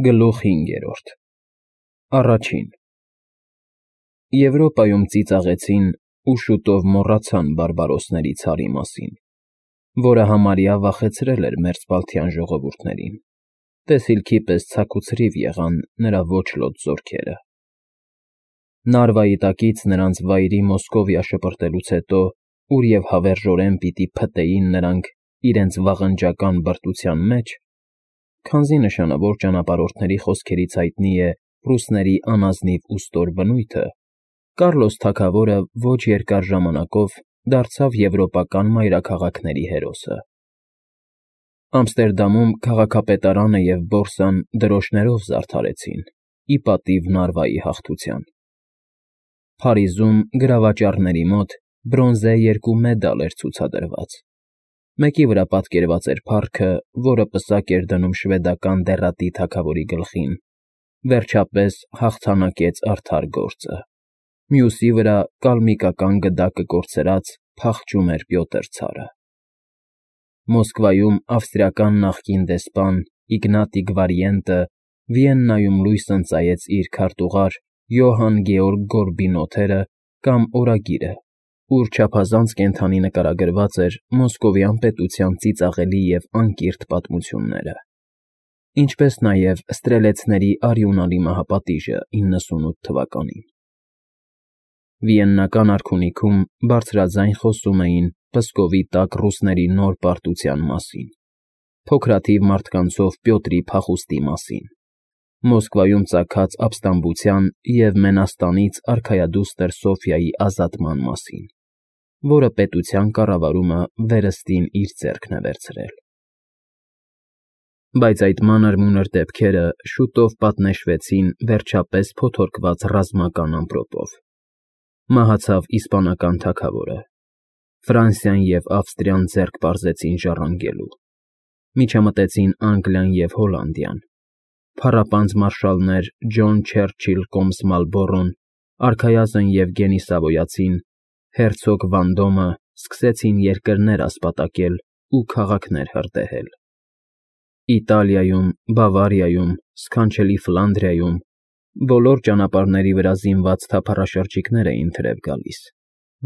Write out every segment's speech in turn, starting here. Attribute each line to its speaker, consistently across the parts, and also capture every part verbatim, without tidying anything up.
Speaker 1: Գլուխ հինգերորդ Առաջին Եվրոպայում ծիծաղեցին ու շուտով մոռացան բարբարոսների ցարի մասին, որը համարյա վախեցրել էր մերձբալթյան ժողովուրդներին, տեսիլքի պես ցաքուցրիվ եղան նրա ոչլոտ զորքերը։ Նարվայի տակից նրանց վայրի Մոսկովիա շպրտելուց հետո, ուր և հավերժորեն պիտի փտեին նրանք իրենց վաղնջական բրտության մեջ, քանզի նշանավոր ճանապարհորդների խոսքերից հայտնի է ռուսների անազնիվ ու ստոր բնույթը, Կառլոս թագավորը ոչ երկար ժամանակով դարձավ եվրոպական մայրաքաղաքների հերոսը։ Ամստերդամում քաղաքապետարանը և բորսան դրոշներով զարդարեցին, ի պատիվ Նարվայի հաղթության։ Փարիզում գրավաճառների մոտ բրոնզե երկու մեդալ էր ցուցադրված, մեկի վրա պատկերված էր փառքը, որը պսակ էր դնում շվեդական դեռատի թագավորի գլխին, վերջապես հաղթանակեց արդար գործը, մյուսի վրա կալմիկական գդակը կորցրած փախչում էր Պյոտր ցարը։ Մոսկվայում ավստրիական նախկին դեսպան Իգնատի Գվարիենտը Վիեննայում լույս ընծայեց իր քարտուղար Յոհան Գեորգ Գորբինոթերը կամ օրագիրը, ուր չափազանց կենդանի նկարագրված էր մոսկովյան պետության ծիծաղելի և անկիրթ պատմությունները, ինչպես նաև ստրելեցների արյունալի մահապատիժը իննսունութ թվականին։ Վիեննական արքունիքում բարձրաձայն խոսում էին Պսկովի տակ ռուսների նոր պարտության մասին, փոքրաթիվ մարդկանցով Պյոտրի փախուստի մասին, Մոսկվայում ծագած ապստամբության և Մենաստանից արքայադուստր Սոֆյայի ազատման մասին, որը պետության կառավարումը վերստին իր ձեռքն է վերցրել։ Բայց այդ մանր֊մունր դեպքերը շուտով պատնեշվեցին վերջապես փոթորկված ռազմական ամպրոպով։ Մահացավ իսպանական թագավորը, Ֆրանսիան և Ավստրիան ձեռք պարզեցին ժառանգելու, միջամտեցին Անգլիան և Հոլանդիան, փառապանծ մարշալներ Ջոն Չերչիլ Կոմս Մալբորոն, արքայազն Եվգենի Սավոյացին, հերցոգ Վանդոմը սկսեցին երկրներ ասպատակել ու քաղաքներ հրդեհել։ Իտալիայում, Բավարիայում, սքանչելի Ֆլանդրիայում բոլոր ճանապարհների վրա զինված թափառաշրջիկներ էին թրև գալիս,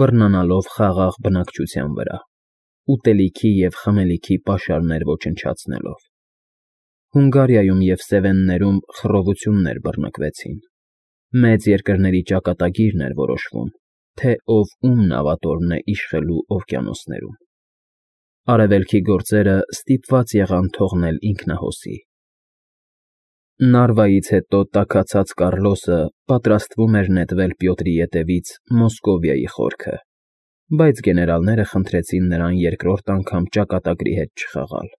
Speaker 1: բռնանալով խաղաղ բնակչության վրա, ուտելիքի և խմելիքի պաշարներ ոչնչացնելով։ Հունգարիայում և Սևեններում խռովություններ բռնկվեցին։ Մեծ երկրների ճակատագիրն էր որոշվում, թե ով ում նավատորմն է իշխելու օվկիանոսներում։ Արևելքի գործերը ստիպված եղան թողնել ինքնահոսի։ Նարվայից հետո տաքացած Կառլոսը պատրաստվում էր նետվել Պյոտրի ետևից Մոսկովիայի խորքը, բայց գեներալները խնդրեցին նրան երկրորդ անգամ ճակատագրի հետ չխաղալ։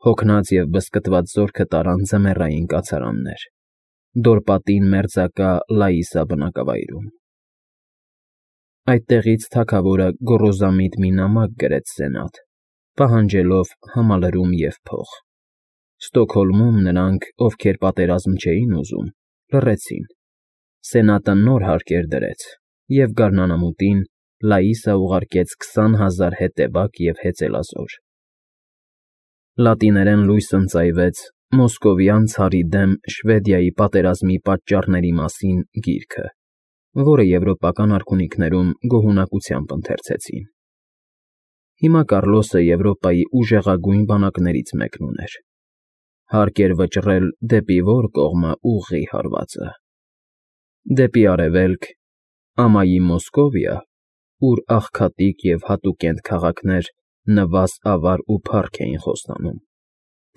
Speaker 1: Հոգնած և բզկտված զորքը տարան ձմեռային կացարաններ, Դորպատին մերձակա Լաիսա բնակավայրում։ Այդտեղից թագավորը գոռոզամիտ մի նամակ գրեց սենատ, պահանջելով համալրում և փող։ Ստոկհոլմում նրանք, ովքեր պատերազմ չէին ուզում, լռեցին։ Սենատը նոր հարկեր դրեց, և գարնանամուտին Լաիսա ուղարկեց քսան հազար հետևակ և հեծելազոր։ Լատիներեն լույս ընծայվեց «Մոսկովյան ցարի դեմ Շվեդիայի պատերազմի պատճառների մասին» գիրքը, որը եվրոպական արքունիքներում գոհունակությամբ ընթերցեցին։ Հիմա Կառլոսը Եվրոպայի ուժեղագույն բանակներից մեկն ուներ։ Հարկ էր վճռել դեպի ո՞ր կողմը ուղղի հարվածը։ Դեպի արևելք, ամայի Մոսկովիա, ուր աղքատիկ և հատուկենտ քաղաքներ նվազ֊ավար ու փառք էին խոստանում,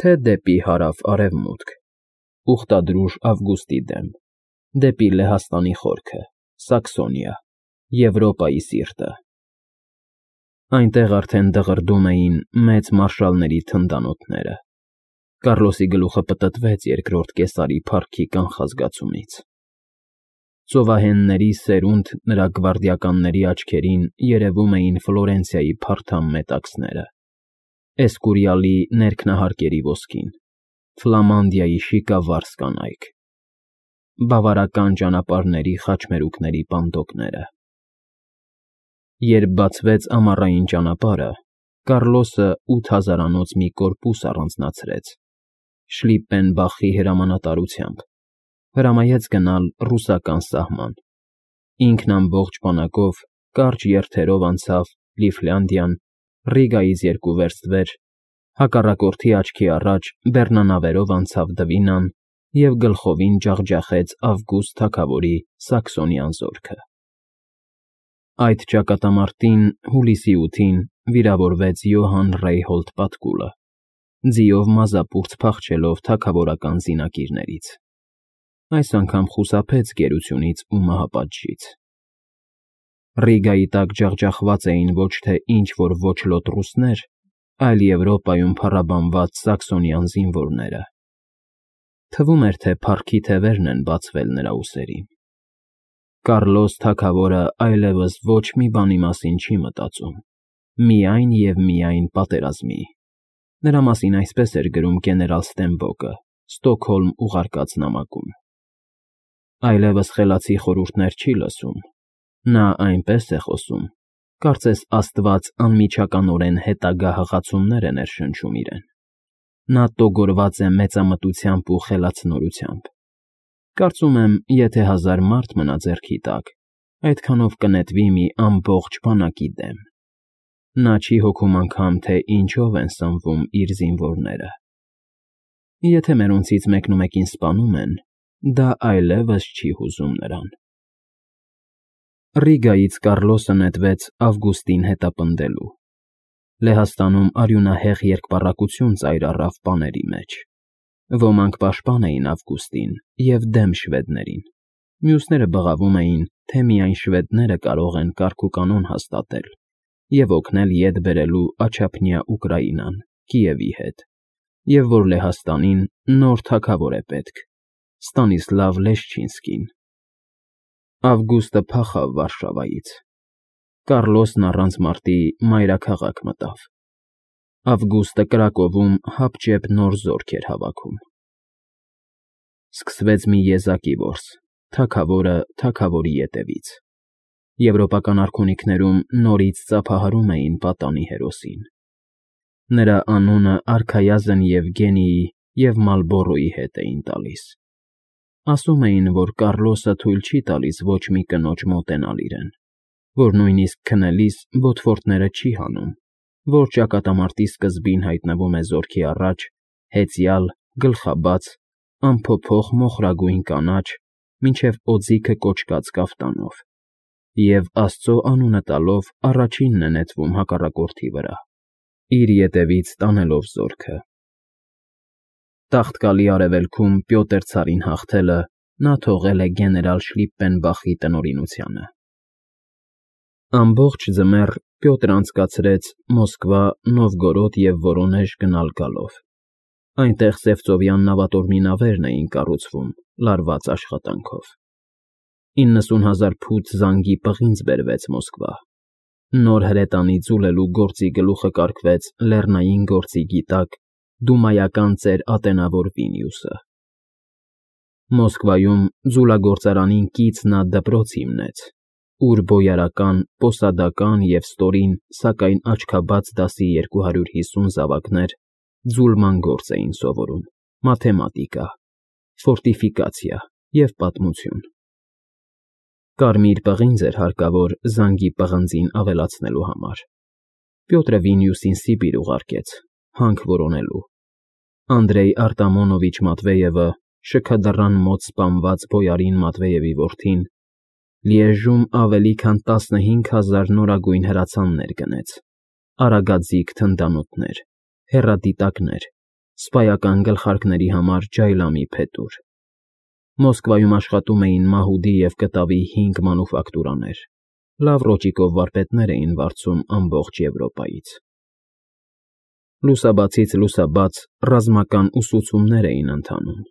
Speaker 1: թե դեպի հարավ֊արևմուտք, ուխտադրուժ Ավգուստի դեմ, դեպի Լեհաստանի խորքը, Սաքսոնիա, Եվրոպայի սիրտը։ Այնտեղ արդեն դղրդում էին մեծ մարշալների թնդանոթները։ Կառլոսի գլուխը պտտվեց երկրորդ կեսարի փառքի կանխազգացումից։ Ծովահենների սերունդ նրա գվարդիականների աչքերին երևում էին Ֆլորենցիայի փարթամ մետաքսները, Էսկուրիալի ներքնահարկերի ոսկին, Ֆլամանդիայի շիկավառ կանայք, բավարական ճանապարհների խաչմերուկների պանդոկները։ Երբ բացվեց ամառային ճանապարհը, Կառլոսը ութ հազարանոց մի կորպուս առանձնացրեց, Շլիպպենբախի հրամանատարությամբ, հրամայեց գնալ ռուսական սահման։ Ինքն ամբողջ բանակով կարճ երթերով անցավ Լիֆլանդիան, Ռիգայից երկու վերստ վեր, հակառակորդի աչքի առաջ բեռնանավերով անցավ Դվինան և գլխովին ջախջախեց Ավգուստ թագավորի Սաքսոնյան զորքը։ Այդ ճակատամարտին հուլիսի ութին վիրավորվեց Յոհան Ռեյհոլդ Պատկուլը, ձիով մազապուրծ փախչելով թագավորական զինակիրներից։ Այս անգամ խուսափեց գերությունից ու մահապատժից։ Ռիգայի տակ ջախջախված էին ոչ թե ինչ֊որ ոչլոտ ռուսներ, այլ Եվրոպայում փառաբանված սաքսոնյան զինվորները։ Թվում էր, թե փառքի թևերն են բացվել նրա ուսերին։ Կառլոս թագավորը այլևս ոչ մի բանի մասին չի մտածում, միայն և միայն պատերազմի։ Նրա մասին այսպես էր գրում գեներալ Ստենբոկը Ստոկհոլմ ուղարկած նամակում։ Այլևս խելացի խորհուրդներ չի լսում։ Նա այնպես է խոսում, կարծես Աստված անմիջականորեն հետագա հղացումներ է ներշնչում իրեն։ Նա տոգորված է մեծամտությամբ ու խելացնորությամբ։ Կարծում եմ, եթե հազար մարդ մնա ձեռքի տակ, այդքանով կնետվի մի ամբողջ բանակի դեմ։ Նա չի հոգում անգամ, թե ինչով են սնվում իր զինվորները։ Եթե մերոնցից մեկնումեկին սպանում են, դա այլևս չի հուզում նրան։ Ռիգայից Կառլոսը նետվեց Ավգուստին հետապնդելու։ Լեհաստանում արյունահեղ երկպառակություն ծայր առավ պաների մեջ։ Ոմանք պաշտպան էին Ավգուստին և դեմ շվեդներին, մյուսները բղավում էին, թե միայն շվեդները կարող են կարգուկանոն հաստատել և օգնել ետ բերելու Աջափնյա Ուկրաինան Կիևի հետ, և որ Լեհաստանին նոր թագավոր է պետք՝ Ստանիսլավ Լեշչինսկին։ Ավգուստը փախավ Վարշավայից։ Կառլոսն առանց մարտի մայրաքաղաք մտավ։ Ավգուստը Կրակովում հապճեպ նոր զորք էր հավաքում։ Սկսվեց մի եզակի որս, թագավորը թագավորի ետևից։ Եվրոպական արքունիքներում նորից ծափահարում էին պատանի հերոսին։ Նրա անունը արքայազն Եվգենիի և Մալբորոյի հետ էին տալիս։ Ասում էին, որ Կառլոսը թույլ չի տալիս ոչ մի կնոջ մոտենալ իրեն, որ նույնիսկ քնելիս բոթվորտները չի հանում, որ ճակատամարտի սկզբին հայտնվում է զորքի առաջ, հեծյալ, գլխաբաց, անփոփոխ մոխրագույն կանաչ, մինչև օձիքը կոճկած կաֆտանով, և Աստծո անունը տալով առաջինն է նետվում հակառակորդի վրա, իր ետևից տանելով զորքը։ Տաղտկալի արևելքում Պյոտր ցարին հաղթելը նա թողել է գեներալ Շլիպպենբախի տնօրինությանը։ Ամբողջ ձմեռ Պյոտր անցկացրեց Մոսկվա, Նովգորոդ և Վորոնեժ գնալ֊գալով։ Այնտեղ սևծովյան նավատորմի նավերն էին կառուցվում, լարված աշխատանքով։ իննսուն հազար ֆուտ զանգի պղինձ բերվեց Մոսկվա։ Նոր հրետանի ձուլելու գործի գլուխը կարգվեց լեռնային գործի գիտակ դումայական ծեր ատենավոր Վինիուսը։ Մոսկվայում ձուլագործարանին կից նա դպրոց հիմնեց, ուր բոյարական, պոսադական և ստորին, սակայն աչքաբաց դասի երկու հարյուր հիսուն զավակներ ձուլման գործ էին սովորում, մաթեմատիկա, ֆորտիֆիկացիա և պատմություն։ Կարմիր պղինձ էր հարկավոր զանգի պղնձին ավելացնելու համար։ Պյոտրը Վինիուսին Սիբիր ուղարկեց, հանք որոնելու։ Անդրեյ Արտամոնովիչ Մատվեևը, շքադռան մոտ սպանված բոյարին Մատվեևի որդին, Լիեժում ավելի քան տասնհինգ հազար նորագույն հրացաններ գնեց, արագաձիգ թնդանոթներ, հեռադիտակներ, սպայական գլխարկների համար ջայլամի փետուր։ Մոսկվայում աշխատում էին մահուդի և կտավի հինգ մանուֆակտուրաներ, լավ ռոճիկով վարպետներ էին վարձում ամբողջ Եվրոպայից։ Լուսաբացից լուսաբաց ռազմական ուսուցումներ էին ընթանում։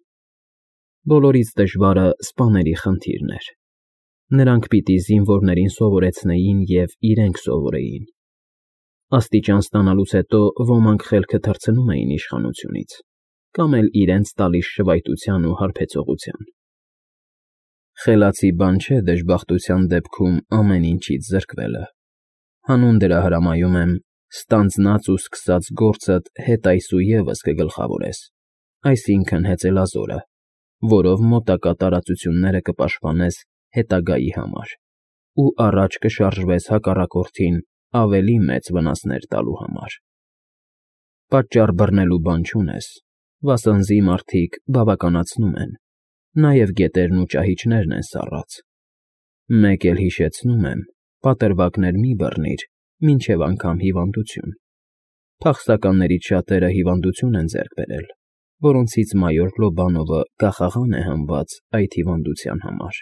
Speaker 1: Բոլորից դժվարը սպաների խնդիրն էր։ Նրանք պիտի զինվորներին սովորեցնեին և իրենք սովորեին։ Աստիճան ստանալուց հետո ոմանք խելքը թռցնում էին իշխանությունից, կամ էլ իրենց տալիս շվայտության ու հարբեցողության։ Խելացի բան չէ դժբախտության դեպքում ամեն ինչից զրկվելը։ Հանուն դրա հրամայում եմ, ստանձնած ու սկսած գործդ հետ այսուևս կգլխավորես, այսինքն՝ հեծելազորը, որով մոտակա տարածությունները կպաշտպանես հետագայի համար ու առաջ կշարժվես հակառակորդին ավելի մեծ վնասներ տալու համար։ Պատճառ բռնելու բան չունես, վասնզի մարդիկ բավականացնում են, նաև գետերն ու ճահիճներն են սառած։ Մեկ էլ հիշեցնում եմ, պատրվակներ մի բռնիր, մինչև անգամ հիվանդություն։ Փախստականներից շատերը հիվանդություն են ձեռք բերել, որոնցից մայոր Լոբանովը գահաղան է հանված այդ հիվանդության համար։